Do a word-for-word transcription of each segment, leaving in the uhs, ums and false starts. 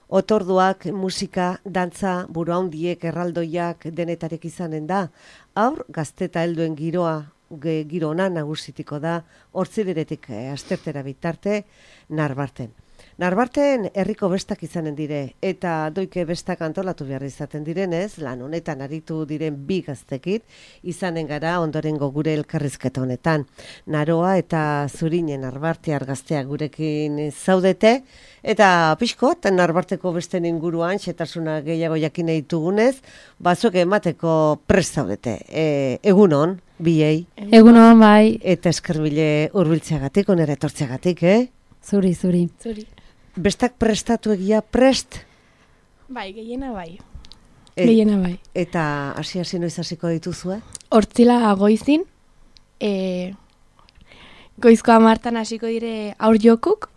Otorduak, musika, dantza, buruhandiek, erraldoiak denetarek izanen da. Haur, gazte eta helduen giroa, ge, giro ona nagusitiko da, hortzileretik eh, astertera bitarte, Narbarten. Narbarten herriko bestak izanen dire, eta doike bestak antolatu behar izaten direnez, lan honetan aritu diren bi gaztekit, izanen gara ondorengo gure elkarrizketa honetan. Naroa eta Zurinen Narbartear gazteak gurekin zaudete, eta pixkot, Narbarteko besten inguruan, xetasuna gehiago jakin ditugunez, batzuk emateko prest zaudete. E, egunon, biei. Egunon, bai. Eta eskerbile hurbiltzeagatik, onera etortzeagatik, eh? Zuri, zuri. Zuri. Bestak prestatu egia prest? Bai, gehiena bai. E, gehiena bai. Eta hasi-hasi noiz hasiko dituzue? Hortzila goizin, e, goizko hamartan hasiko dire aur jokuk,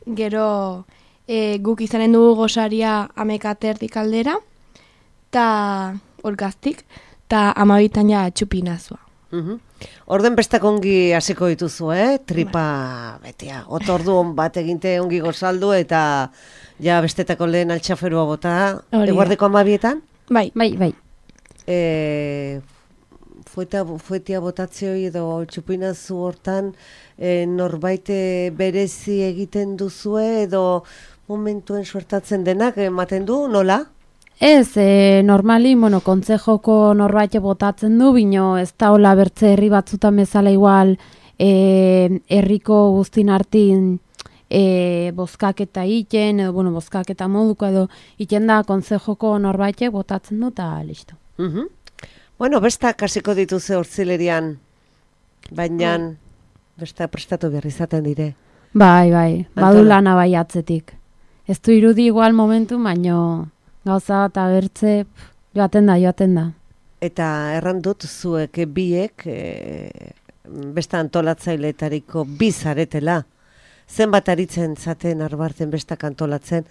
gero e, guk izanen dugu gosaria amekaterdik aldera, eta orgaztik, eta amabitan ja txupinazua. Uh-huh. Orden bestak ongi hasiko dituzu, eh? Tripa betea, otordu on bat eginte ongi gozaldu eta ja bestetako lehen altxaferua bota, eguardeko amabietan? Bai, bai, bai. E, fueta, fuetia botatzioi edo txupinazu hortan e, norbait berezi egiten duzue edo momentuen suertatzen denak ematen du, nola? Ez, e, normali, bueno, kontzejoko norbait botatzen du, bino ez da hola bertze herri batzutan bezala igual e, herriko guztin hartin e, bozkaketa iten, edo, bueno, bozkaketa moduko edo iten da kontzejoko norbait botatzen du, eta listo. Uh-huh. Bueno, bestak hasiko dituze hortzilerian, baina oh. bestak prestatu behar izaten dire. Bai, bai, badu lana bai atzetik. Ez du irudi igual momentu, baino gauza eta bertze joaten da, joaten da. Eta erran dut zuek biek e, besta antolatzaileetariko bi zaretela. Zenbat aritzen zaten Narbarten bestak antolatzen,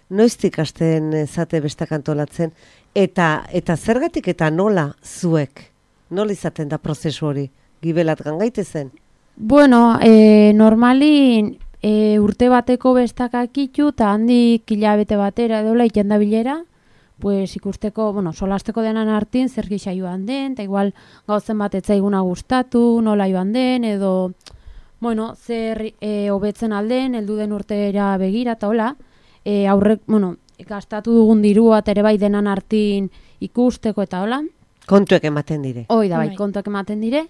noiztik hasten zate bestak antolatzen, eta eta zergatik eta nola zuek? Nola izaten da prozesu hori? Gibelat gangaitezen? Bueno, e, normali e, urte bateko bestak akitu, eta handik hilabete batera edola iten da bilera, pues ikusteko, bueno, solasteko denan hartin zer gisa joan den, eta igual gauzen bat etzaiguna gustatu, nola joan den, edo, bueno, zer e, hobetzen alden, heldu den urtera begira, eta hola, e, aurrek, bueno, gastatu dugun dirua, eta ere bai denan hartin ikusteko, eta hola. Kontuek ematen dire. Hoi da, bai, kontuek ematen dire.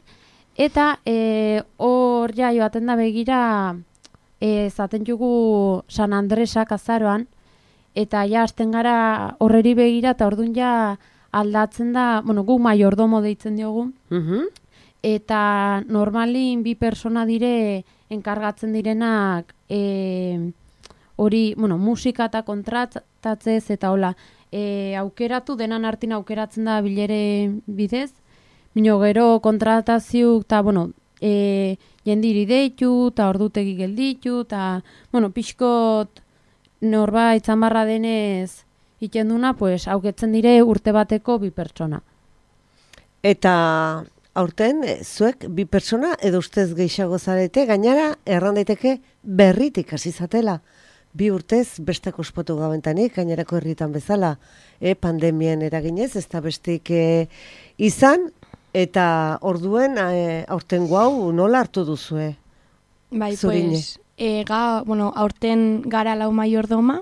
Eta hor e, ja joaten da begira, e, zaten jugu San Andresak azaroan, eta ja hasten gara horreri begira, eta orduan ja aldatzen da, bueno, gu maiordomo deitzen diogu, uh-huh. eta normalin bi persona dire enkargatzen direnak e, hori, bueno, musika eta kontratatzez, eta hola, e, aukeratu, denan hartin aukeratzen da bilere bidez, bino gero kontratazio, eta, bueno, e, jendiri deitu, eta ordutegi gelditu, eta, bueno, pixkot norbait zamarra denez ikenduna, pues, auketzen dire urte bateko bi pertsona. Eta aurten, zuek bi pertsona edo ustez gehiago zarete, gainara erran daiteke berritik hasi zatela. Bi urtez bestako ospotu gabentanik, gainerako herritan bezala, e, pandemien eraginez, ez da bestik e, izan, eta orduen e, aurten guau nola hartu duzue? Bai, Zurine. pues, e, ga, bueno, aurten gara lau maiordoma,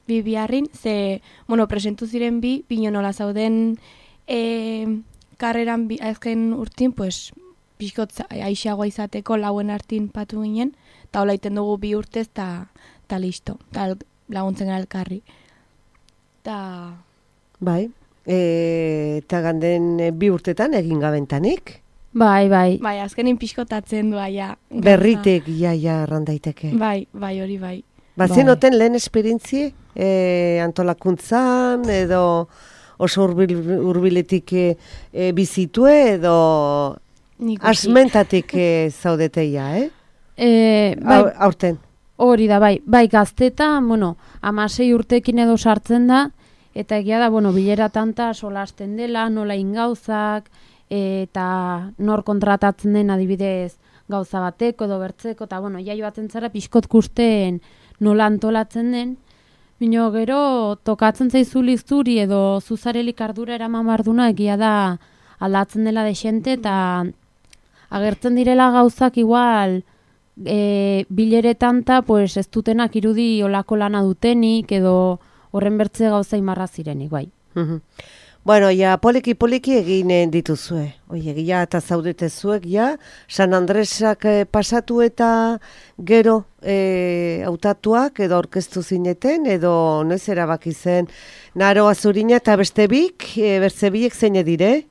bi biharrin, ze, bueno, presentu ziren bi, bino nola zauden e, karreran bi, azken urtin, pues, pixkot aixagoa izateko lauen hartin patu ginen, eta hola iten dugu bi urtez, eta ta listo, eta laguntzen gara elkarri. Ta... Bai, eta ganden bi urtetan egin gabentanik? Bai, bai. Bai, azkenin pixkotatzen du aia. Berritek iaia erran daiteke. Bai, bai, hori bai. Bazien bai. Oten lehen esperientzie e, antolakuntzan edo oso urbil, urbiletik e, e, bizitue edo asmentatik e, zaudeteia, eh? E, bai, aurten. Hori da, bai, bai gaztetan, bueno, amasei urtekin edo sartzen da, eta egia da, bueno, bilera tanta solasten dela, nola ingauzak, eta nor kontratatzen den adibidez gauza bateko edo bertzeko, eta bueno, ja joaten zara pixkot kusten nola antolatzen den, Bino gero tokatzen zaizu lizturi edo zuzarelik ardura eraman barduna egia da aldatzen dela desente eta agertzen direla gauzak igual e, bileretan ta pues, ez dutenak irudi olako lana dutenik edo horren bertze gauza imarra zirenik, bai. Bueno, ja, poliki-poliki egin dituzue. Oie, ja, eta zaudete zuek, ja, San Andresak eh, pasatu eta gero eh, hautatuak edo orkestu zineten, edo noiz erabaki zen Naroa Zurina eta beste bik, e, bertze biek zeine dire?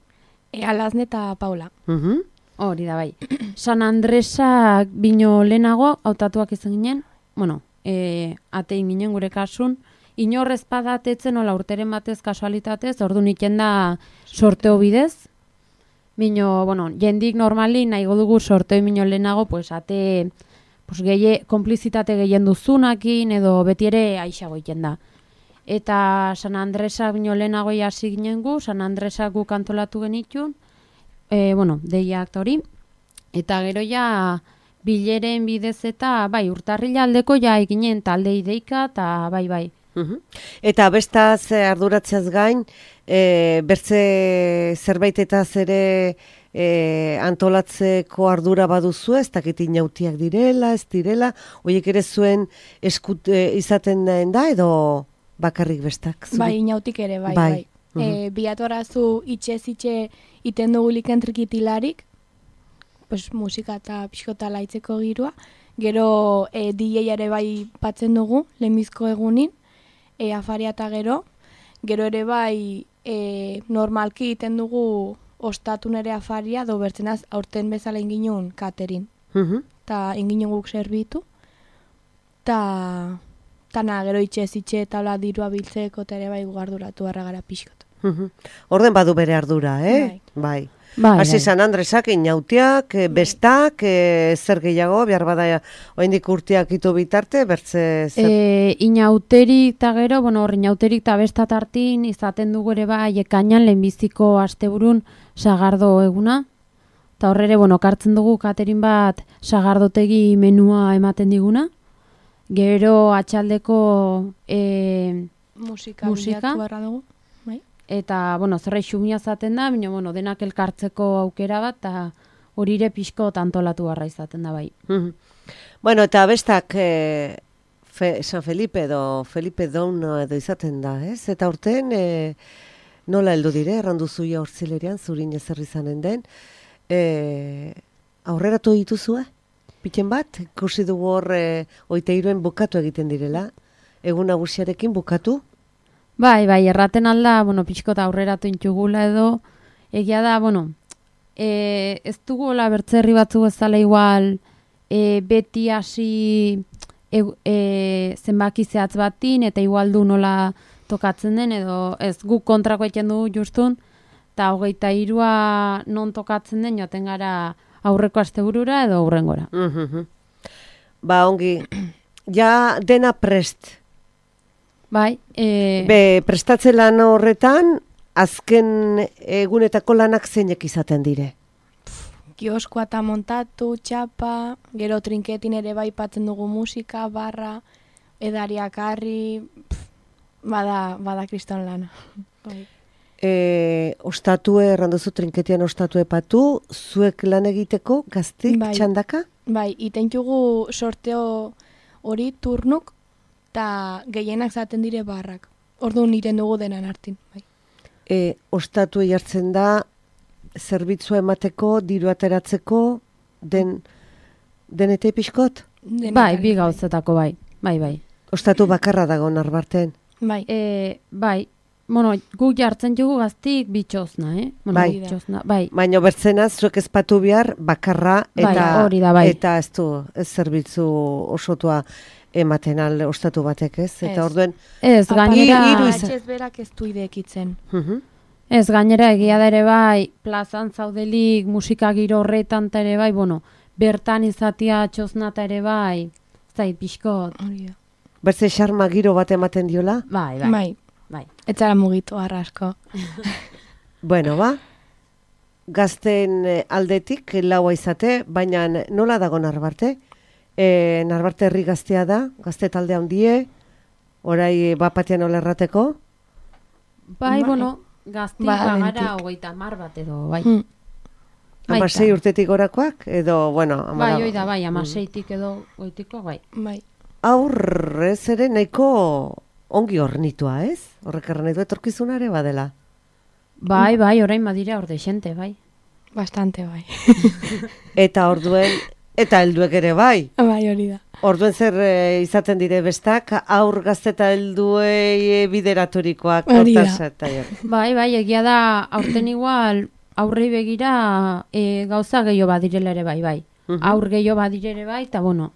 E, Alazne eta Paula. Uh-huh. Hori da, bai. San Andresak bino lehenago hautatuak izan ginen, bueno, e, atein ginen gure kasun, inorrez padatetzen ola urteren batez kasualitatez, ordu niken da sorteo bidez. Bino, bueno, jendik normali nahi dugu sorteo mino lehenago, pues ate, pues gehi, konplizitate gehien duzunakin, edo beti ere aixago iken da. Eta San Andresak bino lehenago hasi ginen gu, San Andresak gu kantolatu genitun, e, bueno, deiak hori, eta gero ja bileren bidez eta, bai, urtarrila aldeko ja eginen talde ideika, eta bai, bai. Uhum. Eta bestaz arduratzeaz gain, e, bertze zerbaitetaz ere e, antolatzeko ardura baduzu, ez dakit inautiak direla, ez direla, horiek ere zuen eskut e, izaten da, edo bakarrik bestak? Zuri? Bai, inautik ere, bai, bai. bai. Uhum. E, biatorazu itxe-zitxe iten dugulik entrikitilarik, pues, musika eta pixkota laitzeko girua, gero e, D J ere bai patzen dugu, lehenbizko egunin, E, afaria eta gero, gero ere bai e, normalki egiten dugu ostatun ere afaria, do bertzenaz aurten bezala inginun katerin. Uh-huh. Ta inginun guk serbitu. Ta, ta na, gero itxe-zitxe eta hola dirua biltzeko eta ere bai gugarduratu harra gara pixkot. Uh-huh. Orden badu bere ardura, eh? Bai. Bai. Bai, Hasi bai. San Andresak, inautiak, e, bestak, e, zer gehiago, behar bada oindik urteak ito bitarte, bertze zer... E, inauterik eta gero, bueno, hor inauterik eta bestat hartin izaten dugu ere bai ekainan lehenbiziko asteburun sagardo eguna. Eta horrere, bueno, kartzen dugu katerin bat sagardotegi menua ematen diguna. Gero atxaldeko e, Musika, Musika. bilatu barra dugu. Bai. eta, bueno, zerra xumia zaten da, baina, bueno, denak elkartzeko aukera bat, eta horire pixko antolatu barra izaten da bai. Mhm. Bueno, eta bestak e, Fe, San Felipe edo Felipe Down edo izaten da, ez? Eta urten e, nola heldu dire, errandu zuia hortzilerian, zurin ezer izanen den, e, aurreratu dituzue? Piten bat, ikusi dugu hor e, oite iruen bukatu egiten direla, egun nagusiarekin bukatu? Bai, bai, erraten alda, bueno, pixkot aurreratu intxugula edo, egia da, bueno, e, ez dugu hola bertzerri batzu ezala igual, e, beti hasi e, e, zenbaki zehatz batin, eta igual du nola tokatzen den, edo ez guk kontrako egiten dugu justun, eta hogeita hirua non tokatzen den, joaten gara aurreko asteburura edo aurrengora. Mhm. Ba, ongi, ja dena prest. Bai, e, Be, prestatze lan horretan, azken egunetako lanak zeinek izaten dire. Kioskoa eta montatu, txapa, gero trinketin ere bai patzen dugu musika, barra, edariak harri, pff, bada, bada kriston lana. Bai. E, ostatue, erranduzu trinketian ostatue patu, zuek lan egiteko, gaztik, Bai. txandaka? Bai, itentxugu sorteo hori turnuk, eta gehienak zaten dire barrak. Orduan iten dugu denan hartin. Bai. E, ostatue jartzen da, zerbitzua emateko, diru ateratzeko, den, denete pixkot? Denetarik, bai, bi gauzetako bai, bai, bai. Ostatu bakarra dago narbarten. Bai. E, bai, bueno, guk jartzen jugu gaztik bitxozna, eh? Bueno, Bai. bitxozna, bai. Baina bertzena, zuek ezpatu behar, bakarra, Bai, eta, hori da, bai. eta ez du, ez zerbitzu osotua ematen al ostatu batek, ez? Eta Ez. orduen, Ez, gainera, hiru izan- Atxez berak ez du idekitzen. mhm. ez, gainera egia da ere bai, plazan zaudelik, musika giro horretan ta ere bai, bueno, bertan izatia txozna ta ere bai, zait pixkot, Hori da. Bertze xarma giro bat ematen diola? bai, bai, Bai. bai. Ez zara mugitu arrasko. Bueno, ba, gazten eh, aldetik laua izate, baina nola dago Narbarte? E, Narbarte herri gaztea da, gazte talde handie, Orai bapatean olerrateko? Bai, Bai. bueno, gaztik Ba, bagara bentik. hogeita hamar bat edo, bai. Mm. Hamasei urtetik gorakoak? Edo, bueno, Bai, amara- hoi da, bai, amaseitik edo goitiko, bai. Bai. Aurrez ere nahiko ongi hornitua, ez? Horrek erran nahi du etorkizunare badela. Bai, bai, orain badira orde xente, bai. Bastante bai. Eta orduen, eta helduek ere bai. Bai, hori da. Orduen zer e, izaten dire bestak, aur gazte eta helduei e, bideraturikoak. Hori da. hortaz eta jo. Bai, bai, egia da, aurten igual, aurrei begira e, gauza gehiago badirela ere bai, bai. Mhm. Aur gehiago badire ere bai, eta bueno,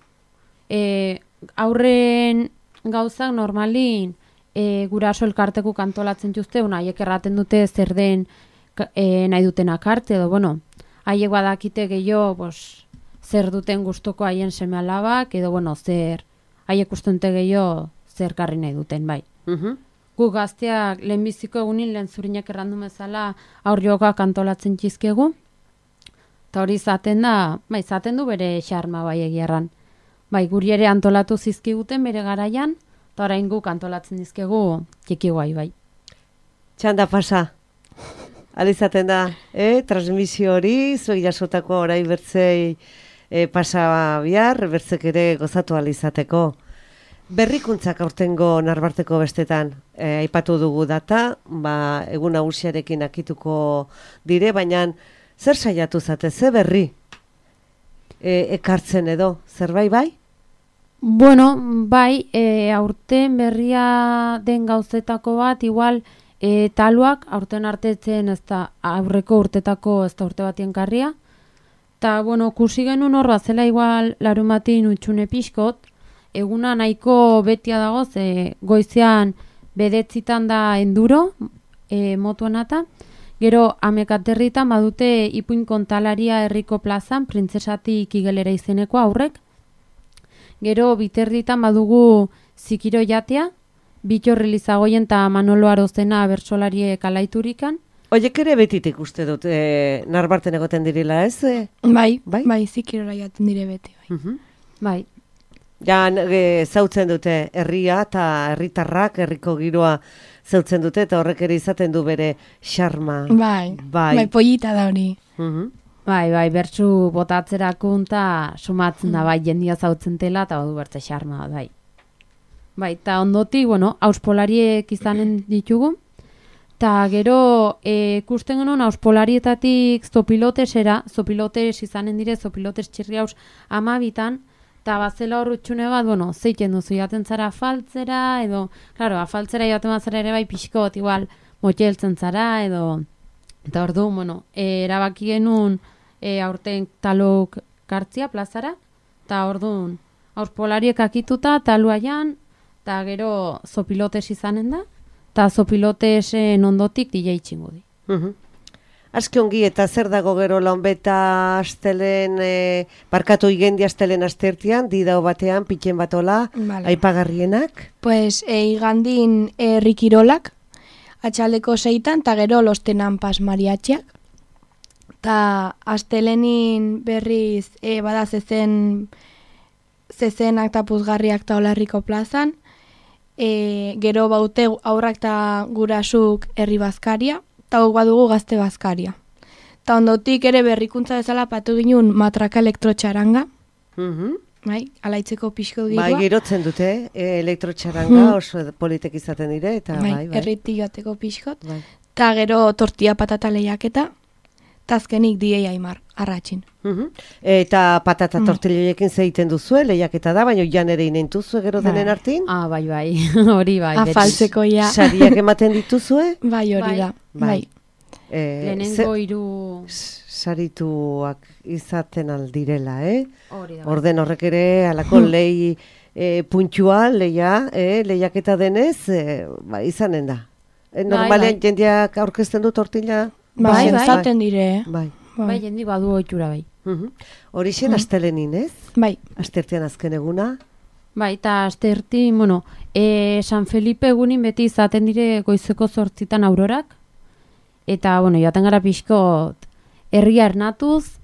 e, aurren gauzak normalin e, guraso elkarteku kantolatzen juzte, una, haiek erraten dute zer den ka- e, nahi dutenak arte, edo, bueno, haiek badakite gehiago, pues, zer duten gustoko haien seme alabak, edo, bueno, zer, haiek ustente gehiago zer karri nahi duten, bai. Mhm. Gu gazteak lehenbiziko egunin lehen zurinak errandu bezala aur jogak antolatzen txizkegu. Eta hori izaten da, bai, izaten du bere xarma bai egiarran. Bai, guri ere antolatu zizkiguten bere garaian, eta orain guk antolatzen dizkegu txiki guai, bai. Txanda pasa. Alizaten da, eh? Transmisio hori, zuei jasotako orai bertzei eh, pasa bihar, bertzek ere gozatu alizateko. Berrikuntzak aurtengo Narbarteko bestetan, eh, aipatu dugu data, ba, egun nagusiarekin akituko dire, baina zer saiatu zate, ze berri e, ekartzen edo, zerbait bai? Bueno, bai, e, aurten berria den gauzetako bat, igual, e, taluak aurten artetzen ez da aurreko urtetako ez da urte batien karria. Ta, bueno, kusi genuen hor bat zela igual larumatin utxune pixkot, eguna nahiko betia dago, ze goizean bedetzitan da enduro, e, motuenata, gero amekaterritan badute ipuin kontalaria herriko plazan, printzesatik igelera izeneko aurrek, gero biterritan badugu zikiro jatea, Bitxorri Lizagoien eta Manolo Arozena bertsolariek alaiturikan. Oiek ere betitik uste dut, e, Narbarten egoten direla, ez? E? Bai, Bai? bai, bai zikirora jaten dire beti. Bai. Mhm. Bai, Ja, e, zautzen dute herria eta herritarrak, herriko giroa zautzen dute, eta horrek ere izaten du bere xarma. Bai, Bai. bai, pollita da hori. Mhm. bai, bai, bertsu botatzerakun eta sumatzen da, bai, jendia zautzen tela, eta badu bertze xarma, bai. Bai, eta ondotik, bueno, auspolariek izanen ditugu, eta gero e, ikusten genuen auspolarietatik zopilotesera, zopilotes izanen dire, zopilotes txirri haus amabitan, eta bazela hor utxune bat, bueno, zeiten duzu jaten zara afaltzera, edo, klaro, afaltzera jaten bazara ere bai pixkot, igual, motxeltzen zara, edo, eta ordu, bueno, e, erabaki genuen e, aurten taluk kartzia plazara, eta orduan, auspolariek akituta, taluaian, eta gero zopilotes izanen da, eta zopilotesen ondotik D J txingo di. Mhm. Aski ongi, eta zer dago gero launbeta astelen, e, barkatu igendi astelen astertian, didao batean, pitxen batola, Vale. aipagarrienak. Pues e, igandin herrikirolak, atxaldeko seitan, eta gero lostenan pas mariatxiak. Ta astelenin berriz e, bada zezen, zezenak eta puzgarriak eta olarriko plazan, e, gero baute aurrak eta gurasuk herri bazkaria, eta hau badugu gazte bazkaria. Ta ondotik ere berrikuntza bezala patu ginen matraka elektrotxaranga, Mhm. bai, alaitzeko pixko Bai, giroa. girotzen dute, e, elektrotxaranga Mhm. oso politek izaten dire, eta bai, bai, bai. erritik joateko pixkot. bai. Ta gero tortilla patata lehiaketa, ta azkenik D J Aimar, arratxin. Mhm. Eta patata Mm. tortilloiekin zeiten duzue, lehiaketa da, baina jan ere inentuzue gero Bai. denen artin? Ah, bai, bai, hori bai. beti. Afaltzeko ja. Sariak ematen dituzue? Bai, hori Bai. da. Bai. Bai. E, Lehenengo hiru s- sarituak izaten aldirela, eh? hori da. bai. Orden horrek ere alako lehi e, puntua, leia, e, lehiaketa denez, e, ba, izanen da. E, normalean bai. jendeak aurkezten du tortilla? Bai, bai. zaten dire. Bai. Bai, jendi badu ohitura bai. Mhm. Horixen astelenin, ez? Bai. Astertean azken eguna. Bai, eta asterti, bueno, e, San Felipe egunin beti izaten dire goizeko zortzitan aurorak, eta, bueno, joaten gara pixkot herria ernatuz,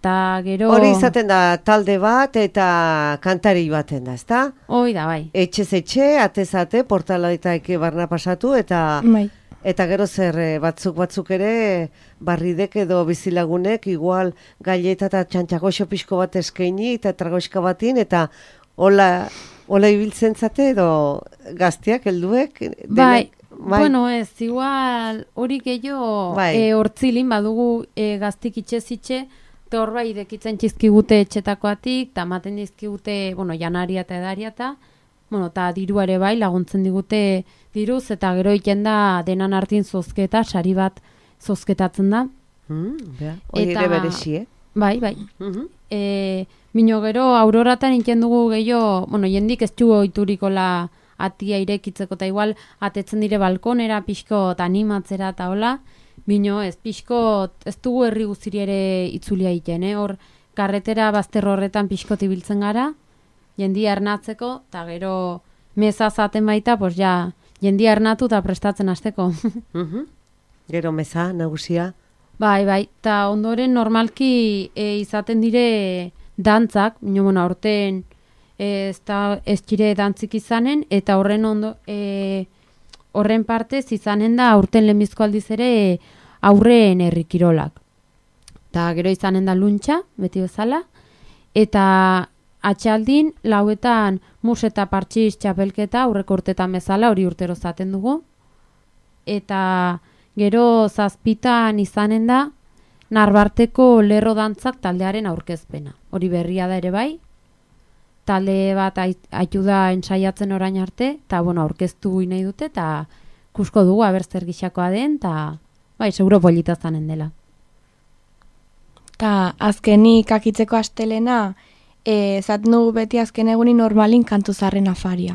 Ta gero... Hori izaten da talde bat eta kantari baten da, ezta? Hoi da, bai. Etxez etxe, atez ate, portalaetak barna pasatu eta... Bai. Eta gero zer batzuk batzuk ere barridek edo bizilagunek igual galleta eta txantxagoxo pixko bat eskaini eta tragoxka batin eta hola, hola ibiltzen zate edo gazteak, helduek? Bai, bai, bueno ez, igual hori gehiago bai. e, hortzilin badugu e, gaztik itxez-itxe, eta hor bai idekitzen txizkigute etxetakoatik, eta maten dizkigute, bueno, janaria eta edaria eta, bueno, eta diruare bai laguntzen digute diruz, eta gero iten da denan hartin zozketa, sari bat zozketatzen da. Mm, Hori ere beresi, eh? Bai, bai. Mm-hmm. E, Mino gero auroratan iten dugu gehiago, bueno, jendik ez dugu oiturikola atia irekitzeko, eta igual atetzen dire balkonera, pixko animatzera eta hola, Mino ez, pixko ez dugu herri guztiri ere itzulia iten, eh? Hor, karretera bazter horretan pixko tibiltzen gara, jendia ernatzeko, eta gero meza zaten baita, pues ja, jendia ernatu eta prestatzen hasteko. Mm-hmm. Gero meza, nagusia? Bai, bai, eta ondoren normalki e, izaten dire dantzak, bino, bueno, aurten e, ez, da, ez txire dantzik izanen, eta horren ondo, e, horren partez izanen da aurten lehenbizko aldiz ere aurreen herrikirolak. Eta gero izanen da luntxa, beti bezala, eta atxaldin lauetan mus eta partxiz txapelketa aurreko urtetan bezala hori urtero zaten dugu. Eta gero zazpitan izanen da Narbarteko lerro dantzak taldearen aurkezpena. Hori berria da ere bai. Talde bat aitu da ensaiatzen orain arte, eta bueno, aurkeztu nahi dute, eta kusko dugu aber zer gixakoa den, eta bai, seguro polita zanen dela. Ta azkenik akitzeko astelena, E, zaten dugu beti azken eguni normalin kantu zarren afaria.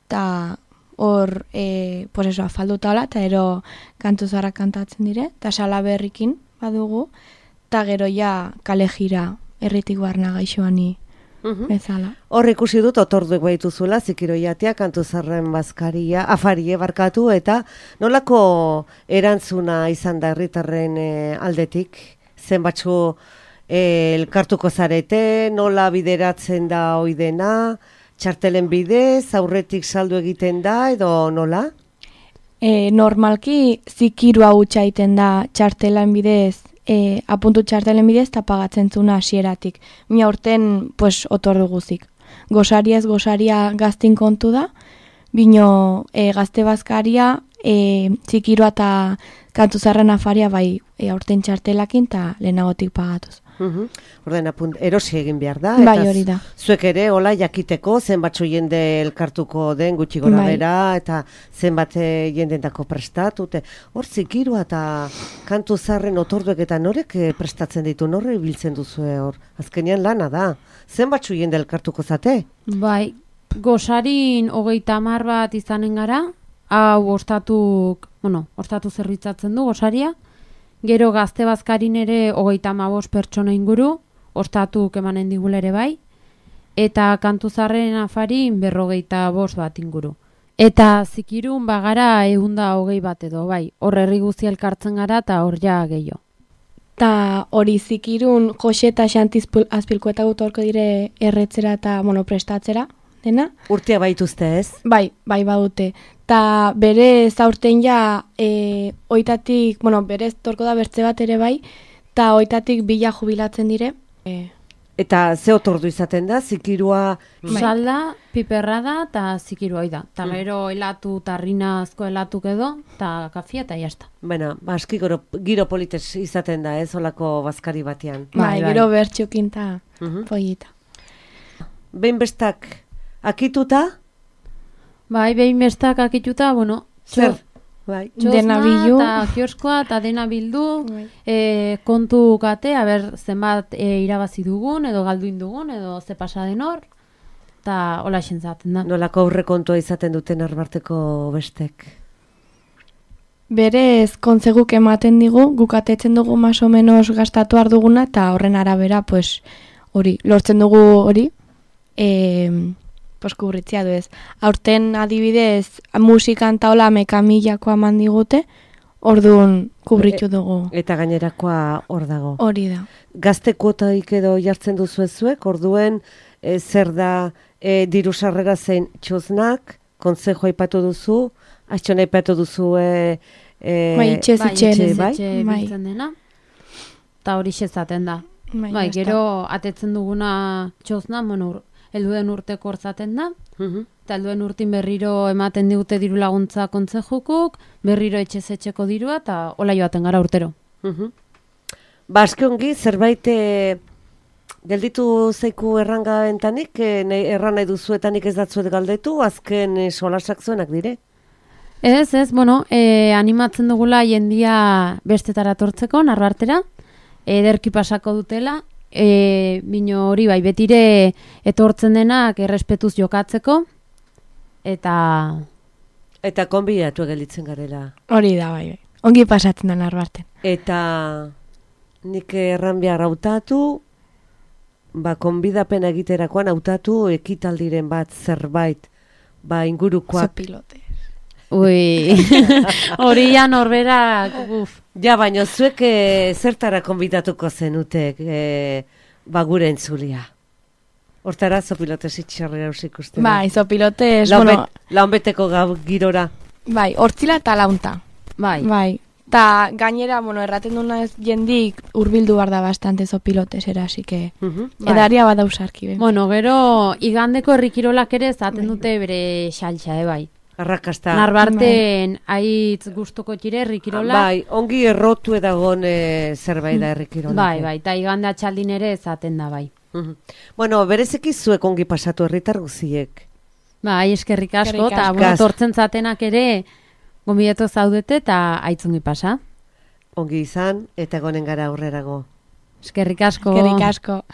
Ta hor, e, pues eso, afalduta hola, eta ero kantu zarra kantatzen dire, eta salaberrikin badugu, eta gero ja kale jira erritik barna gaixoani uh-huh. bezala. Hor ikusi dut otorduek baituzuela, zikiroiatea, kantu zarren bazkaria, afarie barkatu, eta nolako erantzuna izan da herritarren e, aldetik, zenbatzu E, elkartuko zarete, nola bideratzen da oidena, txartelen bidez, aurretik saldu egiten da, edo nola? E, normalki zikirua hutsa egiten da txartelan bidez, e, apuntu txartelen bidez, eta pagatzen zuna hasieratik. Mila urten, pues, otor duguzik. Gosaria ez gosaria gaztin kontu da, bino e, gazte bazkaria, e, zikirua eta kantu zarren afaria bai e, aurten txartelakin eta lehenagotik pagatuz. Uhum. Orden apunt, erosi egin behar da, bai, hori da. Zuek ere, hola, jakiteko, zenbatzu jende elkartuko den gutxi gora bai. bera, eta zenbat jendentako prestatute. Hor, zikirua eta kantu zarren otorduek eta norek prestatzen ditu, norre biltzen duzue hor. Azkenean lana da. Zenbatzu jende elkartuko zate? Bai, gosarin hogeita hamar bat izanen gara, hau ostatuk, bueno, ostatu zerbitzatzen du gosaria, gero gazte bazkarin ere hogeita hamabost pertsona inguru, ostatuk emanen digula ere bai, eta kantu zarren afarin berrogeita bost bat inguru. Eta zikirun bagara ehunda hogei bat edo bai, hor herri guzti elkartzen gara eta hor ja gehiago. Ta hori zikirun Jose eta Xanti Azpilkueta gutorko dire erretzera eta bueno, prestatzera, dena? Urtea baituzte ez? Bai, bai badute. Ta bere zaurten ja e, oitatik, bueno, berez torko da bertze bat ere bai, ta oitatik bila jubilatzen dire. E, Eta ze otordu izaten da, zikirua... Salda, piperra da, eta zikirua da. Eta mm. gero helatu, tarrina asko helatuk edo, eta kafia, eta jazta. Baina, baski giro, giro polites izaten da, ez, olako bazkari batean. Bai, bai. Gero bertxukin eta uh-huh. pollita. Behin bestak akituta? Bai, behin bestak akituta, bueno, zer? Bai. Dena bildu. Eta kioskoa, eta dena bildu, bai. e, kontu gate, haber zenbat e, irabazi dugun, edo galduin dugun, edo ze pasa den hor, eta hola zaten da. Nolako aurre kontua izaten duten Narbarteko bestek? Berez, kontzeguk ematen digu, gukatetzen dugu maso menos gastatu arduguna, eta horren arabera, pues, hori, lortzen dugu hori, eee... Pues kubritzia du ez. Aurten adibidez musikan taola mekamilako eman digute, Orduan kubritu dugu. Eta gainerakoa hor dago. Hori da. Gazte kuotaik edo jartzen duzu ezuek, orduen e, zer da e, diru sarrera zein txosnak, kontzejo aipatu duzu, astxon aipatu duzu e, e, Bai, itxez bai, itxen. itxez bai? etxe Bai. biltzen dena. Eta hori xezaten da. Bai, Bai, basta. gero atetzen duguna txosna, bueno, ur- helduen urteko hortzaten da. Mhm. Eta helduen urtin berriro ematen digute diru laguntza kontzejukuk, berriro etxez etxeko dirua, eta hola joaten gara urtero. Mhm. Ba, aski ongi, zerbait e, gelditu zeiku erranga entanik, e, nahi- erran nahi duzuetanik ez datzuet galdetu, azken e, solasak zuenak dire. Ez, ez, bueno, e, animatzen dugula jendia bestetara tortzeko, narbartera, ederki pasako dutela, e, bino hori bai, betire etortzen denak errespetuz jokatzeko, eta Eta konbidatu gelditzen garela. Hori da, bai, bai. Ongi pasatzen da narbarten. Eta nik erran behar hautatu, ba, konbidapena egiterakoan hautatu ekitaldiren bat zerbait, ba, ingurukoak. Zopilote. ui, hori ja norberak, uf, Ja, baina zuek e, zertara konbidatuko zenutek, e, ba, gure entzulia. Hortara, zopilotes itxarrera usik uste. Bai, zopilotes, bueno, Launbeteko gau girora. bai, hortzila eta launta. bai. Bai. Ta gainera, bueno, erraten duna ez jendik urbildu bar da bastante zopilotesera, así que Mhm. Bai. edaria bada usarki. Ben. Bueno, gero, igandeko herrikirolak ere zaten dute bere xaltxa, eh, bai. Arrakasta. Narbarten aitz gustoko txire herrikirolak. Bai, ongi errotu edagon e, zerbait da errikirolak. Bai, bai, eta igande atxaldin ere zaten da, bai. Mhm. Bueno, berezeki zuek ongi pasatu herritar guziek. Bai, eskerrik asko, Eskerrik eta asko. bueno, tortzen zatenak ere gonbidatu zaudete eta aitzungi pasa. Ongi izan, eta gonen gara aurrerago. Eskerrik asko. Eskerrik asko.